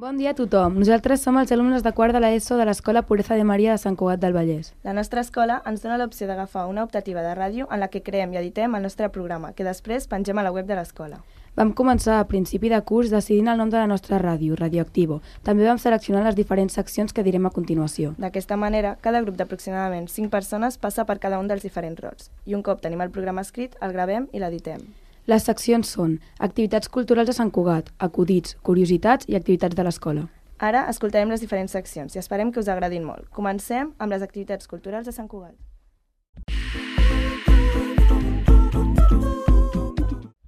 Bon dia a tothom. Nosaltres som els alumnes de quart de l'ESO de l'Escola Pureza de Maria de Sant Cugat del Vallès. La nostra escola ens dona l'opció d'agafar una optativa de ràdio en la que creem i editem el nostre programa, que després pengem a la web de l'escola. Vam començar a principi de curs decidint el nom de la nostra ràdio, Radioactivo. També vam seleccionar les diferents seccions que direm a continuació. D'aquesta manera, cada grup d'aproximadament 5 persones passa per cada un dels diferents rols. I un cop tenim el programa escrit, el gravem i l'editem. Les seccions són activitats culturals de Sant Cugat, acudits, curiositats i activitats de l'escola. Ara escoltarem les diferents seccions i esperem que us agradin molt. Comencem amb les activitats culturals de Sant Cugat.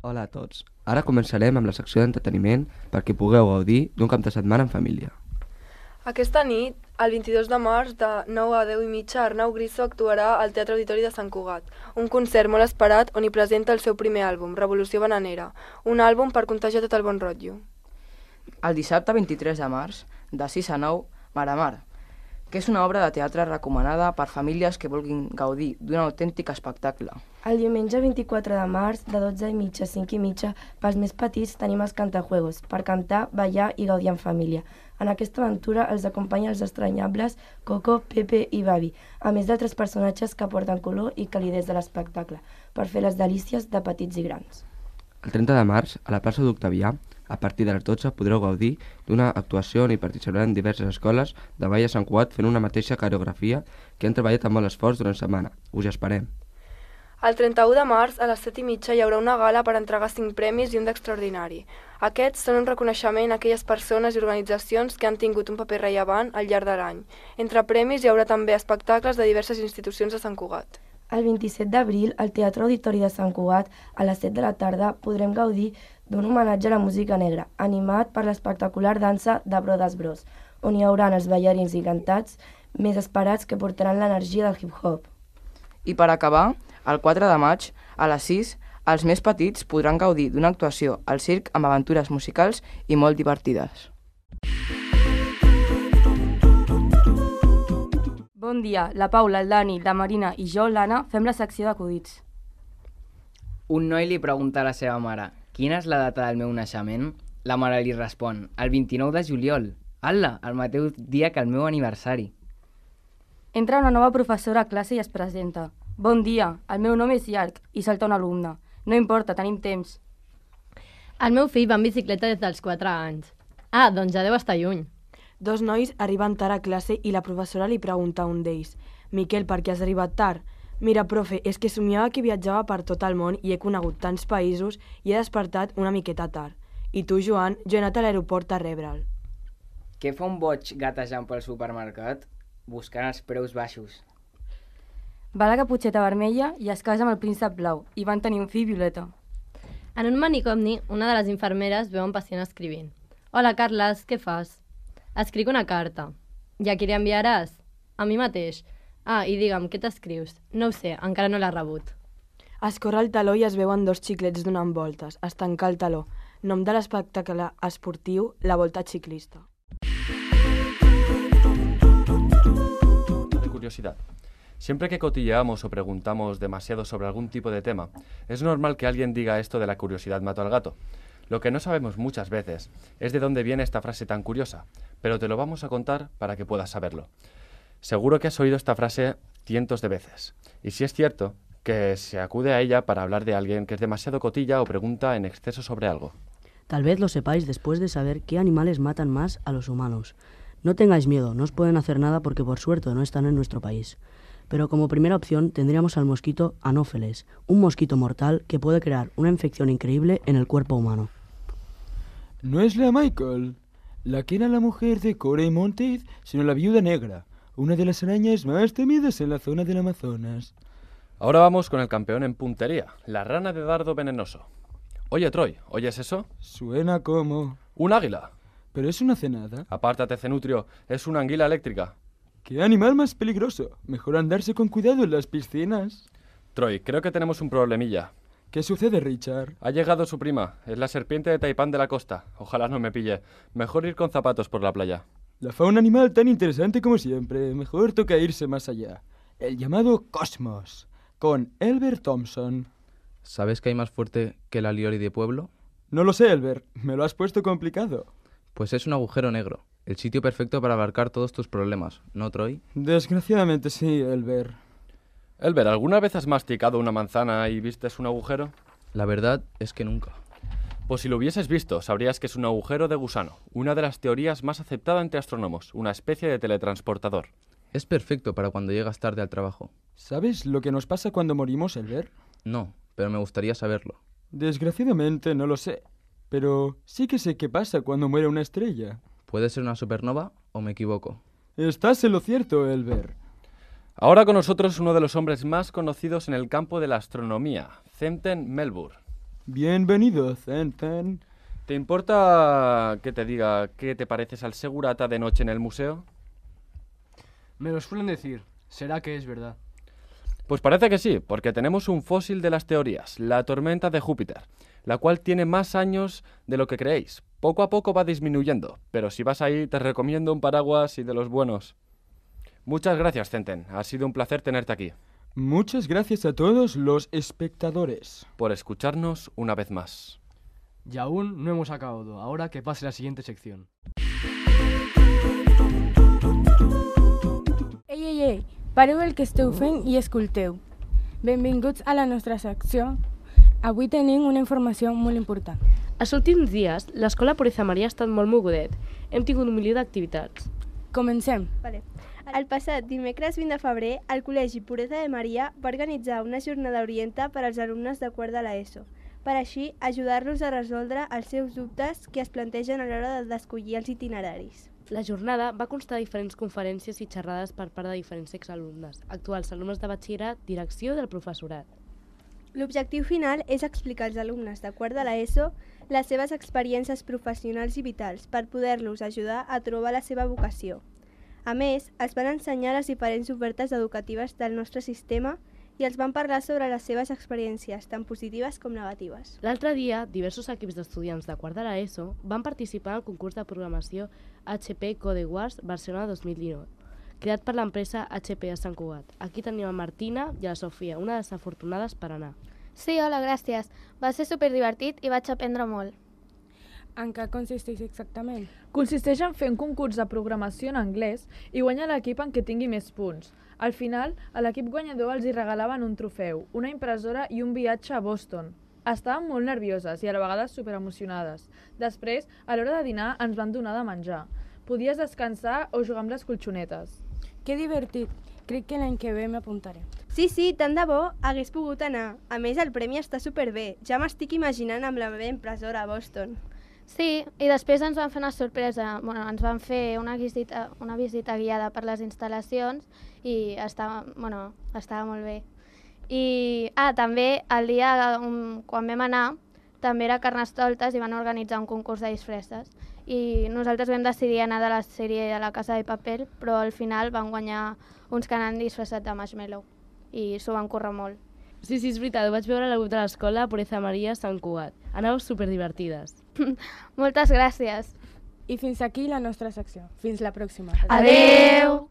Hola a tots. Ara començarem amb la secció d'entreteniment perquè pugueu gaudir d'un cap de setmana en família. Aquesta nit, el 22 de març, de 9 a 10 i mitja, Arnau Grisso actuarà al Teatre Auditori de Sant Cugat, un concert molt esperat on hi presenta el seu primer àlbum, Revolució Bananera, un àlbum per contagiar tot el bon rotllo. El dissabte 23 de març, de 6 a 9, Mar a Mar, que és una obra de teatre recomanada per famílies que vulguin gaudir d'un autèntic espectacle. El diumenge 24 de març, de 12 i mitja a 5 i mitja, pels més petits tenim els cantajuegos, per cantar, ballar i gaudir en família. En aquesta aventura els acompanya els estranyables Coco, Pepe i Babi, a més d'altres personatges que aporten color i calidesa de l'espectacle, per fer les delícies de petits i grans. El 30 de març, a la plaça d'Octavià, a partir de les 12 podreu gaudir d'una actuació on hi participaran diverses escoles de ball a Sant Cugat fent una mateixa coreografia que han treballat amb molt esforç durant setmana. Us hi esperem. El 31 de març, a les 7 i mitja, hi haurà una gala per entregar 5 premis i un d'extraordinari. Aquests són un reconeixement a aquelles persones i organitzacions que han tingut un paper rellevant al llarg de l'any. Entre premis hi haurà també espectacles de diverses institucions de Sant Cugat. El 27 d'abril, al Teatre Auditori de Sant Cugat, a les 7 de la tarda, podrem gaudir d'un homenatge a la música negra, animat per l'espectacular dansa de Brothers Bros, on hi haurà els ballarins i cantats més esperats que portaran l'energia del hip-hop. I per acabar, el 4 de maig, a les 6, els més petits podran gaudir d'una actuació al circ amb aventures musicals i molt divertides. Bon dia, la Paula, el Dani, la Marina i jo, l'Anna, fem la secció d'acudits. Un noi li pregunta a la seva mare: quina és la data del meu naixement? La mare li respon: el 29 de juliol. Ala, el mateix dia que el meu aniversari. Entra una nova professora a classe i es presenta. Bon dia, el meu nom és Llarg, i salta un alumne. No importa, tenim temps. El meu fill va en bicicleta des dels 4 anys. Ah, doncs ja deu estar lluny. Dos nois arriben tard a classe i la professora li pregunta a un d'ells: Miquel, per què has arribat tard? Mira, profe, és que somiava que viatjava per tot el món i he conegut tants països i he despertat una miqueta tard. I tu, Joan, jo he anat a l'aeroport a rebre'l. Què fa un boig gatejant pel supermercat? Buscant els preus baixos. Va a la Caputxeta Vermella i es casa amb el príncep blau i van tenir un fill violeta. En un manicomi, una de les infermeres veu un pacient escrivint. Hola, Carles, què fas? Escric una carta. I a qui li enviaràs? A mi mateix. Ah, i digue'm, què t'escrius? No ho sé, encara no l'ha rebut. Escorre el taló i es veuen 2 xiclets donant voltes. Es tanca el taló. Nom de l'espectacle esportiu, la Volta Ciclista. De curiosidad. Siempre que cotilleamos o preguntamos demasiado sobre algún tipo de tema, es normal que alguien diga esto de la curiosidad mató al gato. Lo que no sabemos muchas veces es de dónde viene esta frase tan curiosa, pero te lo vamos a contar para que puedas saberlo. Seguro que has oído esta frase cientos de veces, y si es cierto que se acude a ella para hablar de alguien que es demasiado cotilla o pregunta en exceso sobre algo. Tal vez lo sepáis después de saber qué animales matan más a los humanos. No tengáis miedo, no os pueden hacer nada porque por suerte no están en nuestro país. Pero como primera opción tendríamos al mosquito Anófeles, un mosquito mortal que puede crear una infección increíble en el cuerpo humano. No es la Michael, la que era la mujer de Corey Monteith, sino la viuda negra, una de las arañas más temidas en la zona del Amazonas. Ahora vamos con el campeón en puntería, la rana de dardo venenoso. Oye, Troy, ¿oyes eso? Suena como... ¡Un águila! Pero es una cenada. Apártate, Cenutrio, es una anguila eléctrica. ¡Qué animal más peligroso! Mejor andarse con cuidado en las piscinas. Troy, creo que tenemos un problemilla. ¿Qué sucede, Richard? Ha llegado su prima, es la serpiente de Taipán de la costa. Ojalá no me pille. Mejor ir con zapatos por la playa. La fauna animal tan interesante como siempre. Mejor toca irse más allá. El llamado cosmos, con Elbert Thompson. ¿Sabes que hay más fuerte que la lioli de pueblo? No lo sé, Elbert. Me lo has puesto complicado. Pues es un agujero negro, el sitio perfecto para abarcar todos tus problemas, ¿no, Troy? Desgraciadamente sí, Elber. Elber, ¿alguna vez has masticado una manzana y vistes un agujero? La verdad es que nunca. Pues si lo hubieses visto, sabrías que es un agujero de gusano, una de las teorías más aceptadas entre astrónomos, una especie de teletransportador. Es perfecto para cuando llegas tarde al trabajo. ¿Sabes lo que nos pasa cuando morimos, Elber? No, pero me gustaría saberlo. Desgraciadamente no lo sé, pero sí que sé qué pasa cuando muere una estrella. ¿Puede ser una supernova o me equivoco? Estás en lo cierto, Elber. Ahora con nosotros uno de los hombres más conocidos en el campo de la astronomía, Thenten Melbourne. Bienvenido, Thenten. ¿Te importa que te diga qué te pareces al segurata de noche en el museo? Me lo suelen decir. ¿Será que es verdad? Pues parece que sí, porque tenemos un fósil de las teorías, la tormenta de Júpiter, la cual tiene más años de lo que creéis. Poco a poco va disminuyendo, pero si vas ahí te recomiendo un paraguas y de los buenos. Muchas gracias, Thenten. Ha sido un placer tenerte aquí. Muchas gracias a todos los espectadores por escucharnos una vez más. Y aún no hemos acabado. Ahora que pase la siguiente sección. Ei, pareu el que esteu fent i escolteu. Benvinguts a la nostra secció. Avui tenim una informació molt important. Els últims dies, l'escola Pureza Maria ha estat molt mogudet. Hem tingut un milió d'activitats. Comencem. Vale. El passat dimecres 20 de febrer, el Col·legi Pureza de Maria va organitzar una jornada orienta per als alumnes de quart de l'ESO, per així ajudar-los a resoldre els seus dubtes que es plantegen a l'hora d'escollir els itineraris. La jornada va constar de diferents conferències i xerrades per part de diferents exalumnes, actuals alumnes de batxillerat, direcció del professorat. L'objectiu final és explicar als alumnes de quart de l'ESO les seves experiències professionals i vitals per poder-los ajudar a trobar la seva vocació. A més, els van ensenyar les diferents ofertes educatives del nostre sistema i els van parlar sobre les seves experiències, tant positives com negatives. L'altre dia, diversos equips d'estudiants de quart de l'ESO van participar al concurs de programació HP Code Wars Barcelona 2019, creat per l'empresa HP de Sant Cugat. Aquí tenim a Martina i a la Sofia, una de les afortunades per anar. Sí, hola, gràcies. Va ser superdivertit i vaig aprendre molt. En què consisteix exactament? Consisteix en fer un concurs de programació en anglès i guanyar l'equip en què tingui més punts. Al final, a l'equip guanyador els hi regalaven un trofeu, una impressora i un viatge a Boston. Estàvem molt nervioses i a la vegada superemocionades. Després, a l'hora de dinar, ens van donar de menjar. Podies descansar o jugar amb les colxonetes. Que divertit! Crec que l'any que ve m'apuntaré. Sí, tant de bo hagués pogut anar. A més, el premi està superbé. Ja m'estic imaginant amb la meva impressora a Boston. Sí, i després ens van fer una sorpresa. Ens van fer una visita guiada per les instal·lacions i estava molt bé. I també el dia quan vam anar també era Carnestoltes i van organitzar un concurs de disfresses. I nosaltres vam decidir anar de la sèrie de la Casa de Paper, però al final van guanyar uns que anaven disfressats de marshmallow i s'ho van currar molt. Sí, és veritat, ho vaig veure a la web de l'escola Pureza Maria Sant Cugat. Anàveu superdivertides. Moltes gràcies. I fins aquí la nostra secció. Fins la pròxima. Adeu!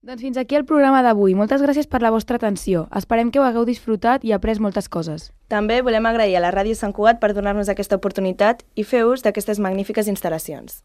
Doncs fins aquí el programa d'avui. Moltes gràcies per la vostra atenció. Esperem que ho hagueu disfrutat i après moltes coses. També volem agrair a la Ràdio Sant Cugat per donar-nos aquesta oportunitat i fer ús d'aquestes magnífiques instal·lacions.